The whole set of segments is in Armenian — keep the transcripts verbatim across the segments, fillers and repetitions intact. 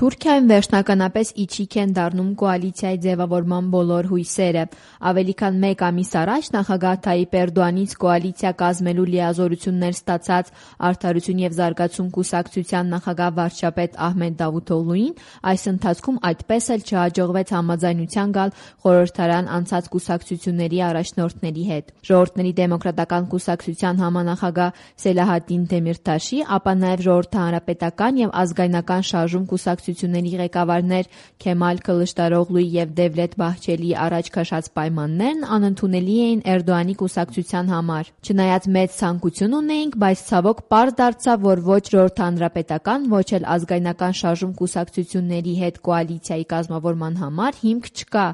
Թուրքիայում վերջնականապես իջիկ են դառնում կոալիցիայի ձևավորման բոլոր հույսերը։ Ավելի քան մեկ ամիս առաջ նախագահ Թայիպ Էրդոğանից կոալիցիա կազմելու լիազորություններ ստացած Արդարություն և զարգացում կուսակցության նախագահ վարչապետ Ահմեդ Դավութօղլուին այս ընթացքում այդպես էլ չհաջողվեց համաձայնության գալ խորհրդարան անցած կուսակցությունների առաջնորդների հետ։ Ժողովուրդների դեմոկրատական կուսակցության համանախագահ Սելահադդին Դեմիրտաշի, ապա նաև Ժողովրդահանրապետական և ազգայնական շարժում կուսակցությունների ղեկավարներ Քեմալ Քլշդարօղլուի և Դևլետ Բահչելիի առաջ քաշած պայմաններն անընդունելի էին Էրդոğանի կուսակցության համար։ Չնայած մեծ ցանկություն ունեինք, բայց ցավոք պարզ դարձավ, որ ոչ Ժողովրդահանրապետական, ոչ էլ ազգայնական շարժում կուսակցությունների հետ կոալիցիայի կազմավորման համար հիմք չկա,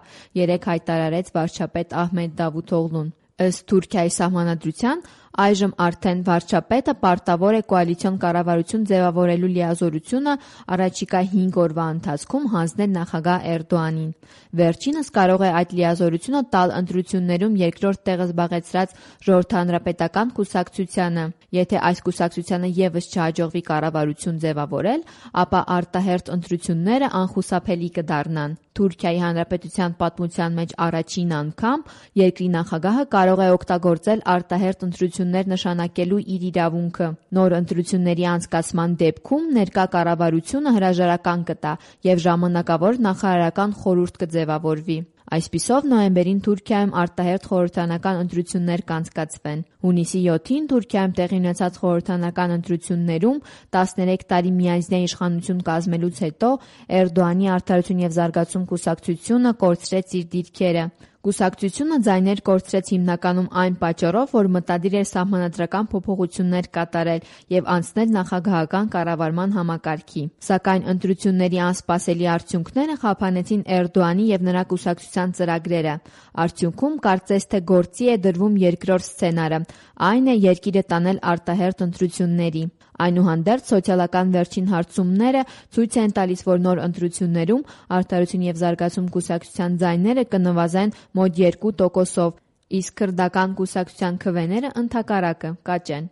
երեկ հայտարարեց վարչապետ Ահմեդ Դավութօղլուն։ Ըստ Թուրքիայի սահմանադրության, այժմ արդեն վարչապետը պարտավոր է կոալիցիոն կառավարություն ձևավորելու լիազորությունը առաջիկա հինգ օրվա ընթացքում հանձնել նախագահ Էրդոğանին։ Վերջինս կարող է այդ լիազորությունը տալ ընտրություններում երկրորդ տեղը զբաղեցրած Ժողովրդահանրապետական կուսակցությանը։ Եթե այս կուսակցությանը ևս չհաջողվի կառավարություն ձևավորել, ապա արտահերթ ընտրությունները անխուսափելի կդառնան։ Թուրքիայի Հանրապետության պատմության մեջ առաջին անգամ երկրի նախագահը կարող է օգտագործել արտահերթ ընտրություններ նշանակելու իր իրավունքը։ Նոր ընտրությունների անցկացման դեպքում ներկա կառավարությունը հրաժարական կտա և ժամանակավոր նախարարական խորհուրդ կձևավորվի։ Այսպիսով նոյեմբերին Թուրքիայում արտահերթ խորհրդարանական ընտրություններ կանցկացվեն։ Հունիսի յոթին Թուրքիայում տեղի ունեցած խորհրդարանական ընտրություններում տասներեք տարի միանձնյա իշխանություն կազմելուց հետո Էրդոğանի Արդարություն և զարգացում կուսակցությունը կորցրեց իր դիրքերը։ Կուսակցությունը ձայներ կորցրեց հիմնականում այն պատճառով, որ մտադիր էր սահմանադրական փոփոխություններ կատարել և անցնել նախագահական կառավարման համակարգի։ Սակայն ընտրությունների անսպասելի արդյունքները խափանեցին Էրդոğանի և նրա կուսակցության ծրագրերը։ Արդյունքում կարծես թե գործի է դրվում երկրորդ սցենարը, այն է երկիրը տանել արտահերթ ընտրությունների։ Այնուհանդերձ սոցիալական վերջին հարցումները ցույց են տալիս, որ նոր ընտրություններում Արդարություն և զարգացում կուսակցության ձայները կնվազեն մոտ երկու տոկոսով, իսկ քրդական կուսակցության քվեները ընդհակառակը կաճեն։